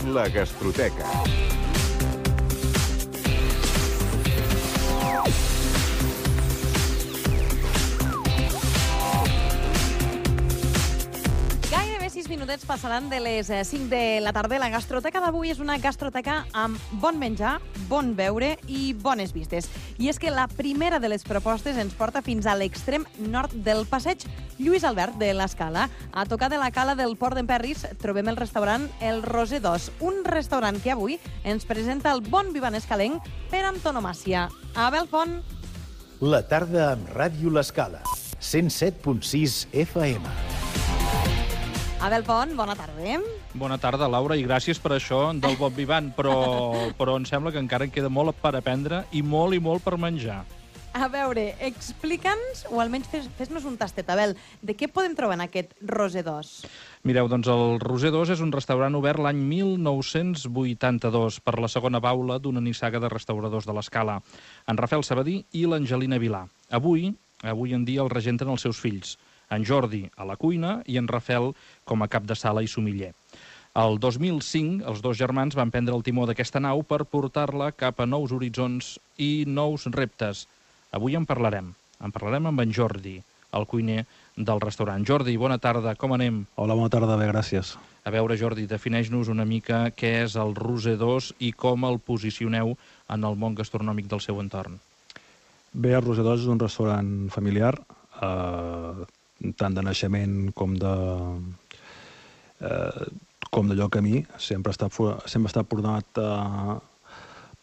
La Gastroteca. Gairebé 6 minutets passaran de les 5 de la tarda. La gastroteca d'avui és una gastroteca amb bon menjar, bon beure i bones vistes. I és que la primera de les propostes ens porta fins a l'extrem nord del passeig Lluís Albert de l'Escala. A tocar de la cala del Port d'Emperris trobem el restaurant El Roser 2, un restaurant que avui ens presenta el bon vi escalenc per antonomàsia. Abel Font. La tarda amb Ràdio L'Escala, 107.6 FM. Abel Font, bona tarda. Bona tarda, Laura, i gràcies per això del bon vivant, però em sembla que encara en queda molt per aprendre i molt per menjar. A veure, explica'ns, o almenys fes-nos un tastet, Abel, de què podem trobar en aquest Roser 2? Mireu, doncs el Roser 2 és un restaurant obert l'any 1982 per la segona baula d'una nissaga de restauradors de l'Escala, en Rafael Sabadí i l'Angelina Vilà. Avui en dia el regenten els seus fills, en Jordi a la cuina i en Rafael com a cap de sala i somiller. El 2005, els dos germans van prendre el timó d'aquesta nau per portar-la cap a nous horitzons i nous reptes. Avui en parlarem amb en Jordi, el cuiner del restaurant. Jordi, bona tarda, com anem? Hola, bona tarda, bé, gràcies. A veure, Jordi, defineix-nos una mica què és el Roser 2 i com el posicioneu en el món gastronòmic del seu entorn. Bé, el Roser 2 és un restaurant familiar, tant de naixement com de lloc a mi. Sempre està ordenat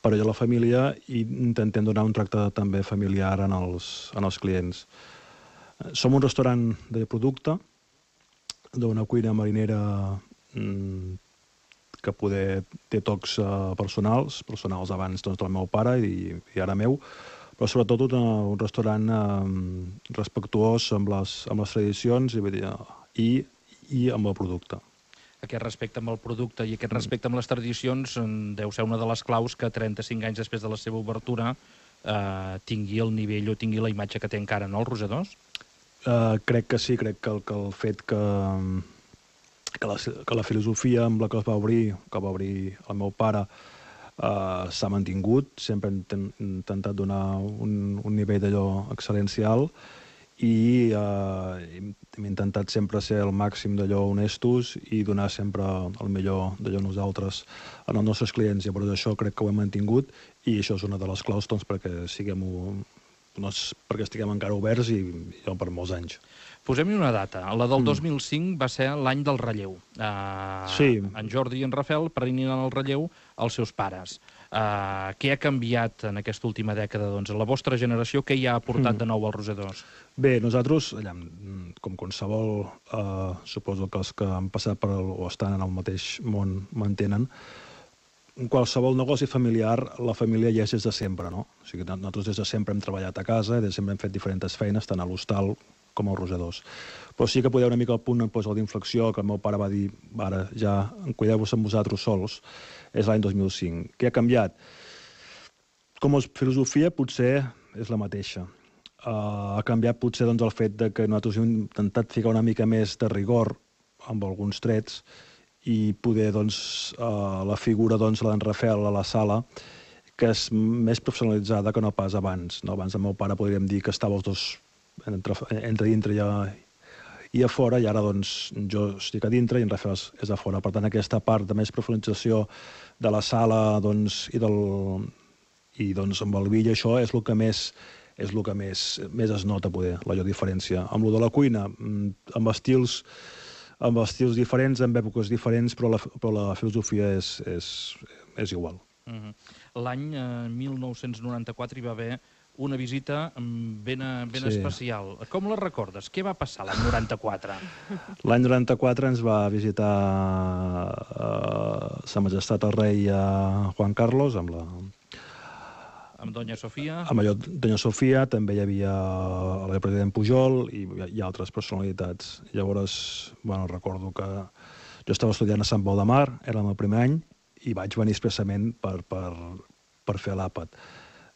per allò a la família i intentem donar un tracte també familiar en els clients. Som un restaurant de producte, d'una cuina marinera que poder té tocs personals abans doncs, del meu pare i ara meu, però sobretot un restaurant respectuós amb les tradicions i amb el producte. Aquest respecte amb el producte i aquest respecte amb les tradicions deu ser una de les claus que 35 anys després de la seva obertura tingui el nivell o tingui la imatge que té encara, no, el Roser 2? Crec que sí, crec que el fet que la filosofia amb la que va obrir el meu pare s'ha mantingut, sempre hem intentat donar un nivell d'allò excel·lencial i hem intentat sempre ser el màxim d'allò honestos i donar sempre el millor d'allò nosaltres als nostres clients. Llavors això crec que ho hem mantingut i això és una de les claus perquè estiguem encara oberts i per molts anys. Posem-hi una data. La del 2005 va ser l'any del relleu. Sí. En Jordi i en Rafael prenien el relleu als seus pares. Què ha canviat en aquesta última dècada? Doncs la vostra generació, què hi ha aportat de nou al Roser 2? Bé, nosaltres, com qualsevol, suposo que els que han passat o estan en el mateix món m'entenen, en qualsevol negoci familiar, la família ja és des de sempre, no? O sigui, nosaltres des de sempre hem treballat a casa, des de sempre hem fet diferents feines, tant a l'hostal com al Roser 2. Però sí que poder una mica al punt d'inflexió, que el meu pare va dir, ara ja cuideu-vos amb vosaltres sols, és l'any 2005. Què ha canviat? Com a filosofia potser és la mateixa. Ha canviat potser el fet que nosaltres hem intentat ficar una mica més de rigor amb alguns trets i poder la figura de l'en Rafael a la sala, que és més professionalitzada que no pas abans. Abans el meu pare podríem dir que estava els dos entre dintre i a fora, i ara jo estic a dintre i en Rafael és a fora. Per tant, aquesta part de més professionalització de la sala i amb el vi i això és el que més es nota, poder, la diferència. Amb el de la cuina, amb estils diferents, amb èpoques diferents, però la filosofia és igual. L'any 1994 hi va haver una visita ben especial. Com la recordes? Què va passar l'any 94? L'any 94 ens va visitar Sa Majestat el rei Juan Carlos amb Doña Sofia. Amb Doña Sofia, també hi havia el president Pujol i altres personalitats. Llavors, recordo que jo estava estudiant a Sant Pol de Mar, era el meu primer any, i vaig venir expressament per fer l'àpat.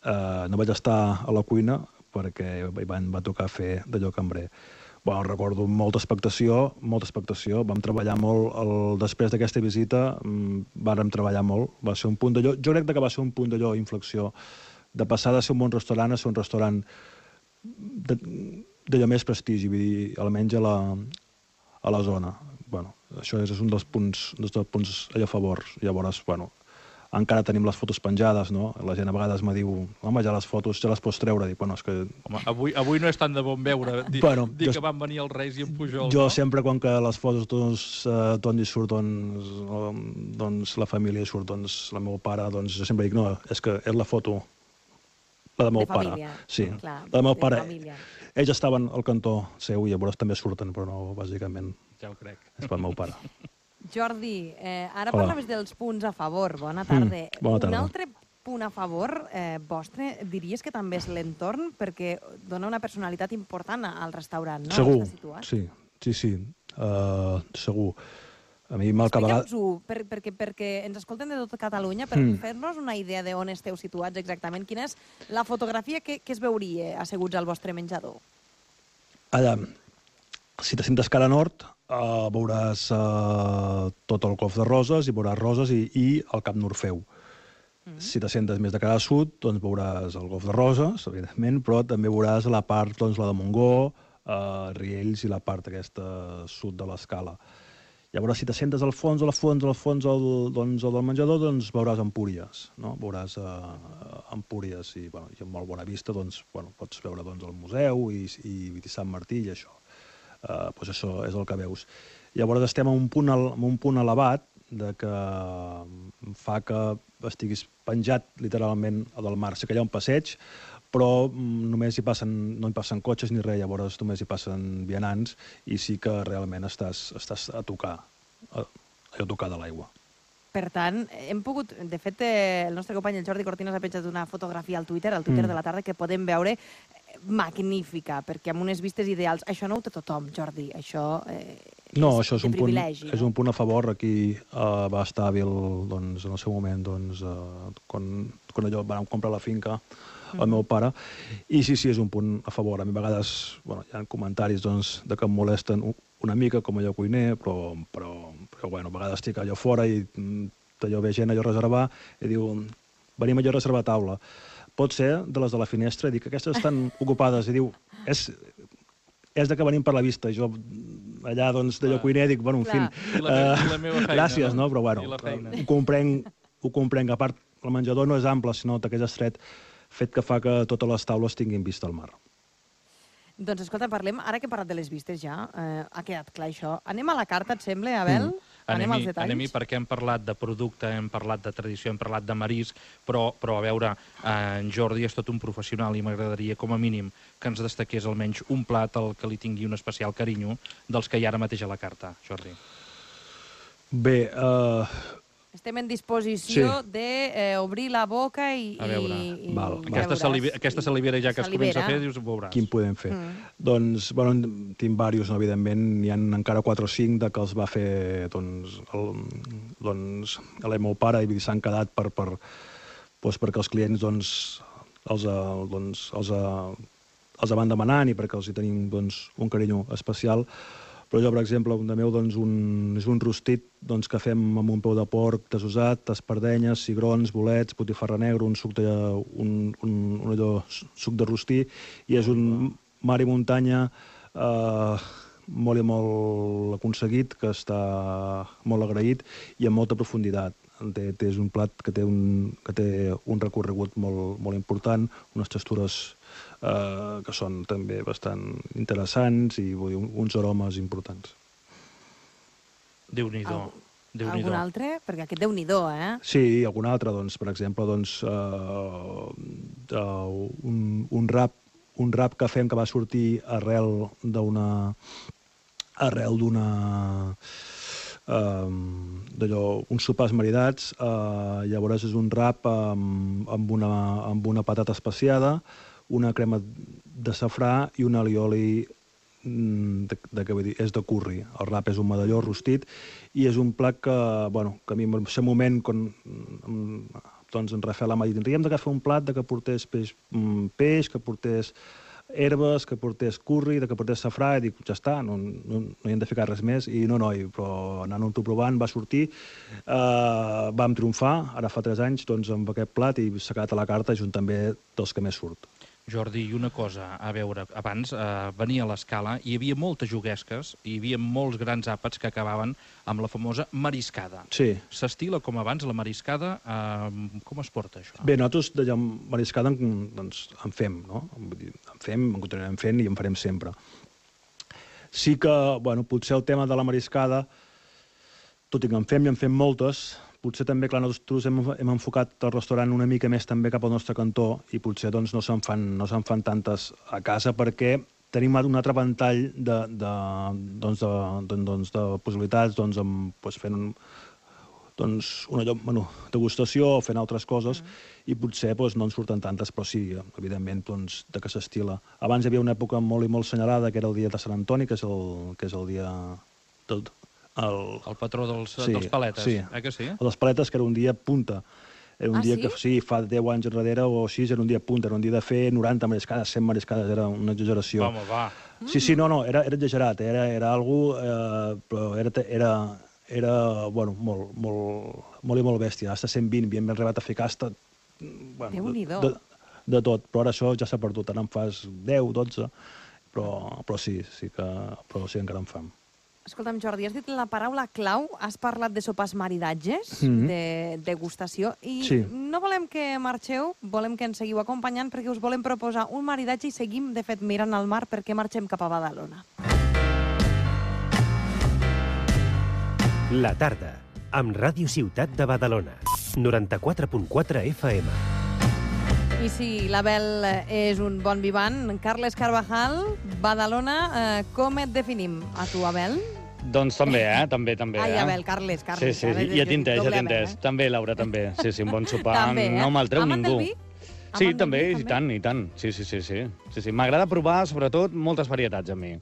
No vaig estar a la cuina perquè va tocar fer d'allò cambrer. Bueno, recordo molta expectació. Vam treballar molt. Després d'aquesta visita vàrem treballar molt. Va ser un punt d'allò. Jo crec que va ser un punt d'allò, inflexió, de passar de ser un bon restaurant a ser un restaurant d'allò més prestigi, vull dir, almenys a la zona. Bueno, això és un dels punts allò a favor. Llavors, bueno, encara tenim les fotos penjades, no? La gent a vegades me diu, home, ja les fotos ja les pots treure. Dic, bueno, és que... Home, avui no és tant de bon veure dir que van venir els Reis i en Pujol. Jo sempre, quan que les fotos d'on hi surt, doncs la família surt, doncs el meu pare, doncs jo sempre dic, no, és que és la foto, la del meu pare. Sí, la del meu pare. Ells estaven al cantó seu i llavors també surten, però no, bàsicament. Ja ho crec. És pel meu pare. Jordi, ara parlaves dels punts a favor. Bona tarda. Bona tarda. Un altre punt a favor vostre, diries que també és l'entorn, perquè dona una personalitat important al restaurant, no? Segur, sí. Segur. A mi explica'ns-ho, perquè ens escolten de tot Catalunya, per fer-nos una idea d'on esteu situats exactament. Quina és la fotografia que es veuria asseguts al vostre menjador? Allà, si te sentes cara nord, veuràs tot el Golf de Roses, i veuràs Roses i el Cap Norfeu. Si te sentes més de cara sud, doncs veuràs el Golf de Roses, evidentment, però també veuràs la part, doncs, la de Montgó, Riells i la part aquesta sud de l'escala. Llavors, si te sentes al fons del menjador, doncs veuràs Empúries, no? Veuràs Empúries i amb molt bona vista, doncs, pots veure el museu i Sant Martí i això. Doncs això és el que veus. Llavors estem a un punt elevat que fa que estiguis penjat literalment del mar. Sé que hi ha un passeig, però només no hi passen cotxes ni res, llavors només hi passen vianants i sí que realment estàs a tocar de l'aigua. Per tant, hem pogut... De fet, el nostre company, el Jordi Cortinas, ha penjat una fotografia al Twitter de la tarda, que podem veure magnífica, perquè amb unes vistes ideals. Això no ho té tothom, Jordi. Això és de privilegi. És un punt a favor. Aquí va estar hàbil, en el seu moment, quan allò vam comprar la finca, el meu pare, i sí, és un punt a favor. A mi a vegades hi ha comentaris de que em molesten una mica com allò cuiner, però a vegades estic allò fora i allò ve gent allò a reservar i diu, venim allò a reservar taula. Pot ser de les de la finestra i dic que aquestes estan ocupades i diu, és de que venim per la vista. Jo allà d'allò cuiner dic, bueno, en fi, gràcies, no? Però ho comprenc. A part, el menjador no és ample, sinó que és estret, fet que fa que totes les taules tinguin vista al mar. Doncs escolta, parlem, ara que he parlat de les vistes ja, ha quedat clar això. Anem a la carta, et sembla, Abel? Anem als detalls? Anem-hi perquè hem parlat de producte, hem parlat de tradició, hem parlat de marisc, però a veure, en Jordi és tot un professional i m'agradaria, com a mínim, que ens destaqués almenys un plat al que li tingui un especial carinyo dels que hi ha ara mateix a la carta, Jordi. Bé, estem en disposició d'obrir la boca i... A veure, aquesta salivera ja que es comença a fer, dius, ho veuràs. Quin podem fer? Doncs, tinc diversos, evidentment. N'hi ha encara 4 o 5 que els va fer el meu pare i s'han quedat perquè els clients els van demanant i perquè els hi tenim un carinyo especial. Però jo, per exemple, un de meu és un rostit que fem amb un peu de porc desusat, espardenyes, cigrons, bolets, botifarra negra, un suc de rostí, i és un mar i muntanya molt i molt aconseguit, que està molt agraït i amb molta profunditat. És un plat que té un recorregut molt important, unes textures que són també bastant interessants i uns aromes importants. Déu-n'hi-do. Algun altre? Perquè aquest Déu-n'hi-do, eh? Sí, algun altre. Per exemple, un rap que fem que va sortir arrel d'una uns sopars maridats. Llavors és un rap amb una patata especiada, una crema de safrà i un alioli és de curri. El rap és un medalló rostit i és un plat que a mi en aquest moment, quan en Rafael m'ha dit, hem de fer un plat que portés peix, que portés herbes, que portés curri, que portés safrà, i dic, ja està, no hi hem de ficar res més, i no, però anant-ho provant va sortir, vam triomfar, ara fa 3 anys, doncs amb aquest plat, i s'ha quedat a la carta junt també dels que més surt. Jordi, i una cosa, a veure, abans venia a l'Escala, hi havia moltes juguesques, hi havia molts grans àpats que acabaven amb la famosa mariscada. Sí. S'estila com abans la mariscada? Com es porta, això? Bé, nosaltres de mariscada doncs, en fem, no? En fem, en continuarem fent i en farem sempre. Sí que, bueno, potser el tema de la mariscada, tot i que en fem i en fem moltes, potser també, clar, nosaltres hem enfocat el restaurant una mica més també cap al nostre cantó i potser doncs, no se'n fan tantes a casa perquè tenim un altre ventall de possibilitats fent una degustació o fent altres coses i potser no en surten tantes, però sí, evidentment, de que s'estila. Abans hi havia una època molt i molt senyalada, que era el dia de Sant Antoni, que és el dia... El patró dels paletes, que sí? El dels paletes, que era un dia punta. Era un dia que, sí, fa 10 anys enrere o així, era un dia punta, era un dia de fer 90 mariscades, 100 mariscades, era una exageració. Home, va. Sí, no, era exagerat, era algo, però era bueno, molt i molt bèstia. Hasta 120 havíem arribat a ficar hasta... Déu-n'hi-do. De tot, però ara això ja s'ha perdut, ara en fas 10, 12, però sí encara en fam. Escolta'm, Jordi, has dit la paraula clau, has parlat de sopars maridatges, de degustació, i no volem que marxeu, volem que ens seguiu acompanyant perquè us volem proposar un maridatge i seguim, de fet, mirant al mar perquè marxem cap a Badalona. La tarda, amb Ràdio Ciutat de Badalona, 94.4 FM. I si l'Abel és un bon vivant, Carles Carvajal, Badalona, com et definim? A tu, Abel? Doncs també, també. Ai, Abel, Carles. Sí, ja t'he entès. També, Laura, també. Sí, un bon sopar. No me'l treu ningú. Sí, també, i tant. Sí. M'agrada provar, sobretot, moltes varietats a mi.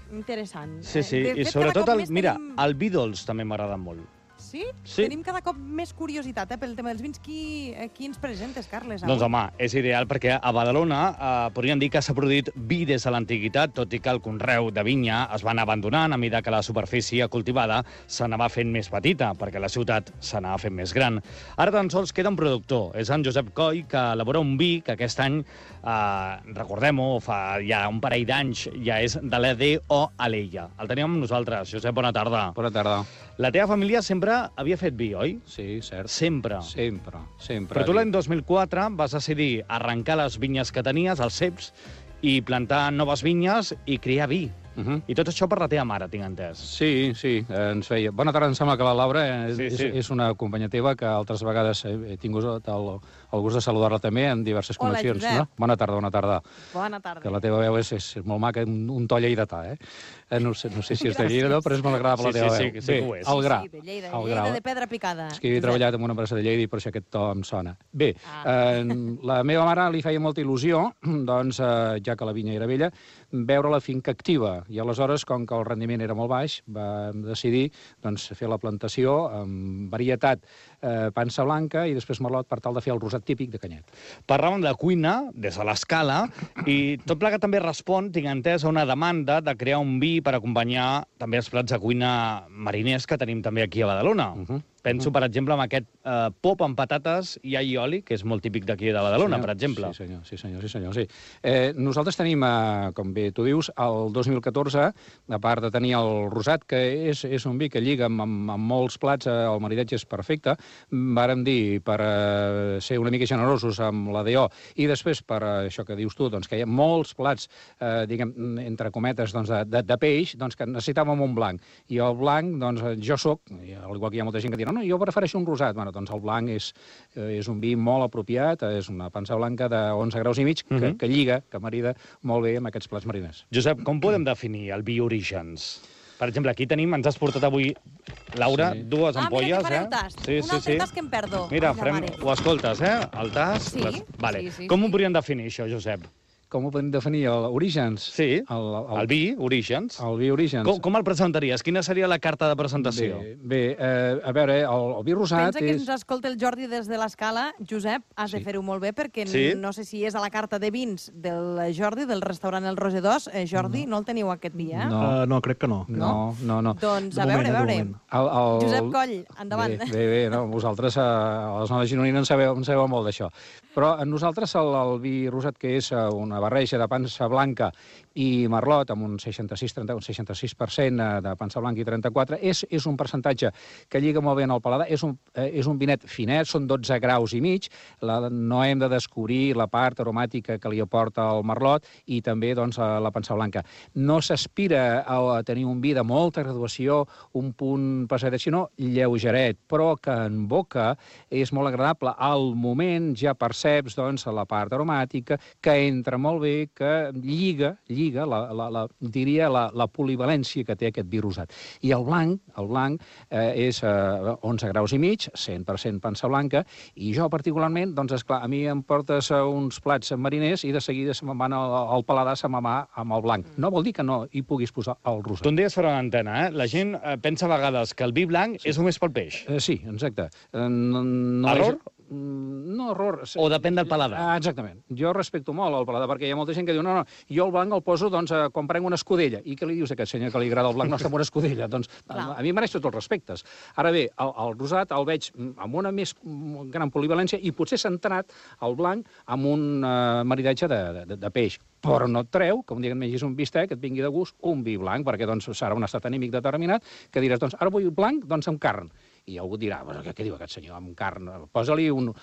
Interessant. Sí, i sobretot, mira, el vi dolç també m'agrada molt. Sí? Tenim cada cop més curiositat pel tema dels vins. Qui ens presentes, Carles? Doncs, home, és ideal perquè a Badalona podríem dir que s'ha produït vi des de l'antiguitat, tot i que el conreu de vinya es va anar abandonant a mesura que la superfície cultivada s'anava fent més petita, perquè la ciutat s'anava fent més gran. Ara tan sols queda un productor, és en Josep Coll, que elabora un vi que aquest any, recordem-ho, fa ja un parell d'anys, ja és de l'EDO Alella. El tenim amb nosaltres. Josep, bona tarda. Bona tarda. La teva família sempre havia fet vi, oi? Sí, cert. Sempre. Però tu l'any 2004 vas decidir arrencar les vinyes que tenies, els ceps, i plantar noves vinyes i criar vi. I tot això per la teva mare, tinc entès. Sí, ens feia. Bona tarda, em sembla que la Laura és una companya teva que altres vegades he tingut el gust de saludar-la també en diverses connexions. Hola, Josep. Bona tarda. Bona tarda. Que la teva veu és molt maca, un to lleidatà, No sé si és de Lleida, però és molt agradable la teva veu. Sí que ho és. El gra. Sí, de Lleida de pedra picada. És que he treballat en una empresa de Lleida i per això aquest to em sona. Bé, la meva mare li feia molta il·lusió, doncs, ja que la vinya era vella, veure la finca activa. I aleshores, com que el rendiment era molt baix, vam decidir fer la plantació amb varietat pansa blanca i després merlot per tal de fer el rosat típic de Canyet. Parlàvem de cuina des de l'Escala i tot plegat també respon, tinc entès, a una demanda de crear un vi per acompanyar també els plats de cuina mariners que tenim també aquí a Badalona. Penso, per exemple, en aquest pop amb patates i all i oli, que és molt típic d'aquí de Badalona, per exemple. Sí, senyor. Nosaltres tenim, com bé tu dius, el 2014, a part de tenir el rosat, que és un vi que lliga amb molts plats, el maridatge és perfecte, vàrem dir, per ser una mica generosos amb la DO, i després, per això que dius tu, que hi ha molts plats, diguem, entre cometes, de peix, que necessitàvem un blanc. I el blanc, jo soc, al igual que hi ha molta gent que dirà, no, jo prefereixo un rosat. Bueno, doncs el blanc és un vi molt apropiat, és una pansa blanca de 11 graus i mig, que lliga, que marida molt bé amb aquests plats mariners. Josep, com podem definir el vi Orígens? Per exemple, aquí tenim, ens has portat avui, Laura, dues ampolles. Mira que fareu tast. Un altre tast que em perdo. Mira, ho escoltes, el tast? Sí. Com ho podríem definir, això, Josep? com ho podem definir? Orígens? Sí, el vi, Orígens. El vi Orígens. Com el presentaries? Quina seria la carta de presentació? Bé, a veure, el vi rosat Pensa que ens escolta el Jordi des de l'Escala. Josep, has de fer-ho molt bé, perquè no sé si és a la carta de vins del Jordi, del restaurant El Roser 2. Jordi, no el teniu aquest dia? No, crec que no. No. Doncs a veure. Josep Coll, endavant. Bé, no, vosaltres, a les noves gironines, en sabeu molt d'això. Però nosaltres el vi rosat, que és una barreja de pansa blanca i merlot, amb un 66% de pansa blanca i 34, és un percentatge que lliga molt bé en el paladar. És un vinet finet, són 12 graus i mig. No hem de descobrir la part aromàtica que li aporta el merlot i també doncs, la pansa blanca. No s'aspira a tenir un vi de molta graduació, un punt passadet, sinó lleugeret, però que en boca és molt agradable. Al moment ja perceps doncs, la part aromàtica, que entra molt bé, que lliga diria la polivalència que té aquest vi rosat. I el blanc és 11 graus i mig, 100% pansa blanca, i jo particularment, doncs esclar, a mi em portes uns plats mariners i de seguida se me'n van al paladar, se me'n va amb el blanc. No vol dir que no hi puguis posar el rosat. Tu en deies fora d'antena, La gent pensa a vegades que el vi blanc és només pel peix. Sí, exacte. Error? No, error. O depèn del paladar? Exactament. Jo respecto molt el paladar, perquè hi ha molta gent que diu no, jo el blanc el poso quan prenc una escudella. I què li dius a aquest senyor que li agrada el blanc? No està amb una escudella. Doncs a mi mereix tots els respectes. Ara bé, el rosat el veig amb una més gran polivalència i potser centrat el blanc amb un maridatge de peix. Però no et treu que un dia que et mengis un bistec et vingui de gust un vi blanc, perquè doncs serà un estat anímic determinat que diràs, doncs ara vull blanc, doncs amb carn. I algú dirà, què diu aquest senyor, amb carn? Posa-li un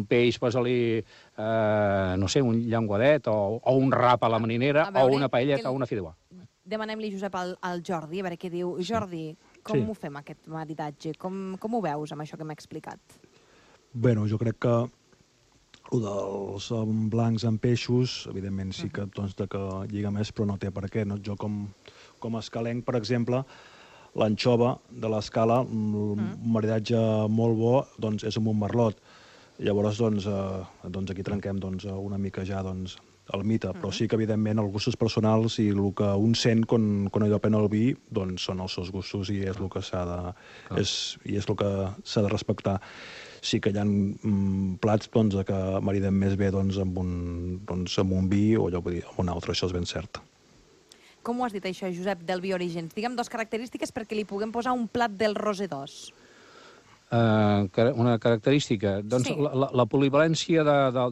peix, posa-li, no sé, un llenguadet o un rap a la marinera o una paelleta o una fideuà. Demanem-li, Josep, al Jordi, a veure què diu. Jordi, com ho fem, aquest maridatge? Com ho veus, amb això que m'ha explicat? Bé, jo crec que el dels blancs amb peixos, evidentment sí que lliga més, però no té per què. Jo com a escalenc, per exemple, l'anxova de l'Escala, un maridatge molt bo, doncs és amb un merlot. Llavors, aquí trenquem una mica ja el mite, però sí que, evidentment, els gustos personals i el que un sent quan allò pren el vi, doncs són els seus gustos i és el que s'ha de respectar. Sí que hi ha plats que mariden més bé amb un vi o amb un altre, això és ben cert. Com ho has dit, això, Josep, del vi Orígens? Digue'm dues característiques perquè li puguem posar un plat del Roser 2. Una característica? Doncs sí. La polivalència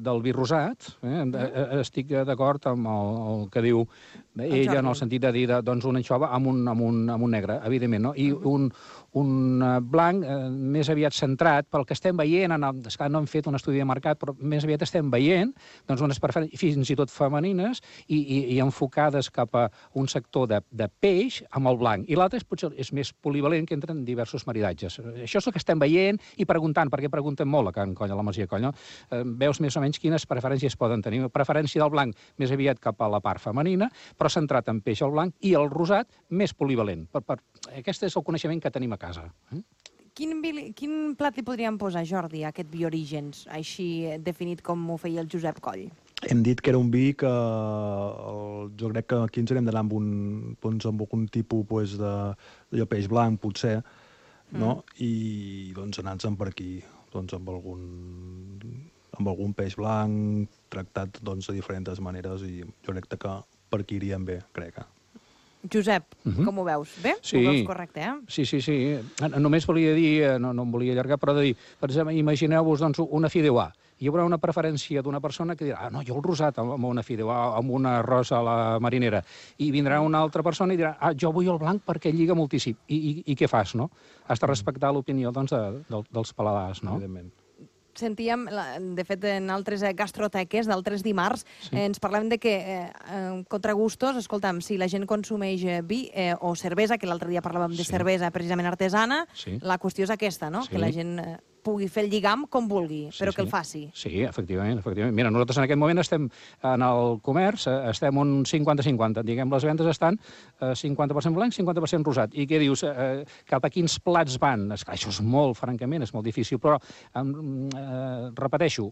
del vi rosat. Estic d'acord amb el que diu ella, en el sentit de dir una anxova amb un negre, evidentment, no? I un blanc més aviat centrat pel que estem veient, esclar, no hem fet un estudi de mercat, però més aviat estem veient unes preferències fins i tot femenines i enfocades cap a un sector de peix amb el blanc. I l'altre potser és més polivalent, que entren diversos maridatges. Això és el que estem veient i preguntant, perquè preguntem molt a Can Coll, a la Masia Coll, no? Veus més o menys quines preferències poden tenir. Preferència del blanc més aviat cap a la part femenina, però centrat en peix al blanc, i el rosat més polivalent. Aquest és el coneixement que tenim a casa. Quin plat li podríem posar, Jordi, a aquest vi Orígens, així definit com ho feia el Josep Coll? Hem dit que era un vi que jo crec que aquí ens hem d'anar amb un tipus de peix blanc, potser, no? I anar-nos per aquí, amb algun peix blanc tractat de diferents maneres, i jo crec que per aquí irien bé, crec. Josep, com ho veus? Bé? Sí. Ho veus correcte, Sí. Només volia dir, no em volia allargar, però de dir, per exemple, imagineu-vos una fideuà. Hi haurà una preferència d'una persona que dirà no, jo el rosat amb una fideuà, amb un arròs a la marinera. I vindrà una altra persona i dirà jo vull el blanc perquè lliga moltíssim. I què fas, no? Has de respectar l'opinió dels paladars, no? Evidentment. Sentíem, de fet, en altres gastroteques d'altres dimarts, ens parlem de que, contra gustos, escolta'm, si la gent consumeix vi o cervesa, que l'altre dia parlàvem de cervesa precisament artesana, la qüestió és aquesta, no? Que la gent pugui fer el lligam com vulgui, però que el faci. Sí, efectivament. Mira, nosaltres en aquest moment estem en el comerç, estem un 50-50. Diguem, les vendes estan 50% blanc, 50% rosat. I què dius? Cap a quins plats van? Esclar, això és molt, francament, és molt difícil, però repeteixo,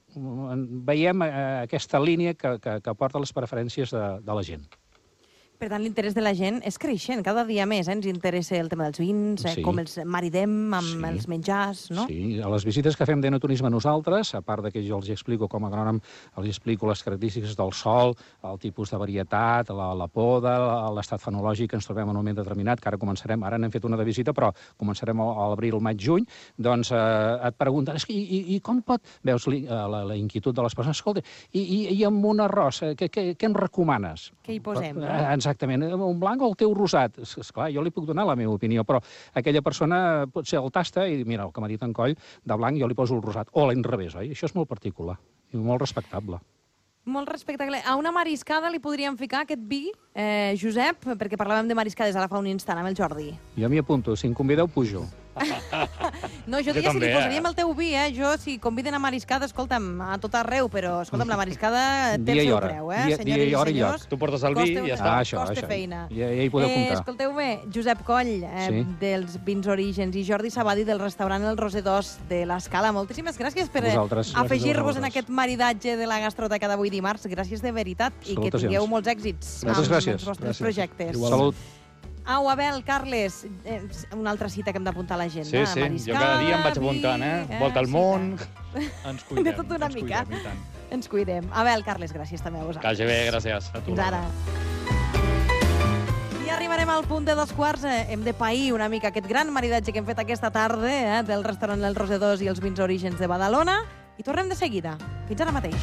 veiem aquesta línia que porta les preferències de la gent. Per tant, l'interès de la gent és creixent, cada dia més. Ens interessa el tema dels vins, com els maridem amb els menjars, no? Sí, a les visites que fem d'enoturisme nosaltres, a part que jo els explico com a agrònom, els explico les característiques del sòl, el tipus de varietat, la poda, l'estat fenològic que ens trobem en un moment determinat, que ara començarem, ara n'hem fet una de visita, però començarem a l'abril, maig, juny, doncs et pregunten, i com pot... Veus la inquietud de les persones, escolta, i amb un arròs, què em recomanes? Què hi posem? Exactament, un blanc o el teu rosat? Esclar, jo li puc donar la meva opinió, però aquella persona potser el tasta i mira, el que m'ha dit en Coll, de blanc jo li poso el rosat. O a l'inrevés, oi? Això és molt particular i molt respectable. Molt respectable. A una mariscada li podríem ficar aquest vi, Josep, perquè parlàvem de mariscades ara fa un instant amb el Jordi. Jo m'hi apunto, si em convideu, pujo. No, jo diria si li posaríem el teu vi, Jo, si conviden a mariscada, escolta'm, a tot arreu, però, escolta'm, la mariscada té el seu preu, Dia i hora i lloc. Tu portes el vi i ja està. Costa feina. Ja hi podeu comptar. Escolteu-me, Josep Coll, dels Vins Orígens, i Jordi Sabadi, del restaurant El Roser II de l'Escala. Moltíssimes gràcies per afegir-vos en aquest maridatge de la gastroteca d'avui dimarts. Gràcies de veritat i que tingueu molts èxits amb els vostres projectes. Salut. Au, Abel, Carles, una altra cita que hem d'apuntar a l'agenda. Sí, jo cada dia em vaig apuntant, Volta al món... Ens cuidem. De tot una mica. Ens cuidem. Abel, Carles, gràcies també a vosaltres. Que vagi bé, gràcies. Fins ara. I arribarem al punt de 2:15. Hem de pair una mica aquest gran maridatge que hem fet aquesta tarda del restaurant El Roser II i els Vins Orígens de Badalona. I tornem de seguida. Fins ara mateix.